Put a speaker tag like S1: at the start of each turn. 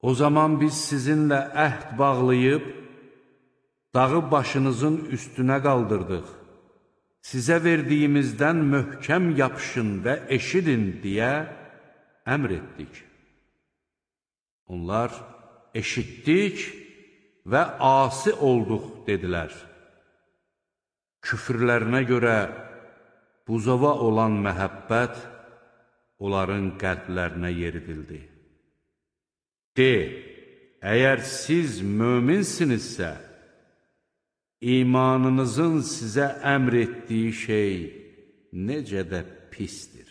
S1: O zaman biz sizinlə əhd bağlayıb, dağı başınızın üstünə qaldırdıq. Sizə verdiyimizdən möhkəm yapışın və eşidin deyə əmr etdik. Onlar eşitdik və asi olduq dedilər. Küfrlərinə görə buzova olan məhəbbət onların qəlblərinə yeridildi. De, əgər siz möminsinizsə, imanınızın sizə əmr etdiyi şey necə də pisdir.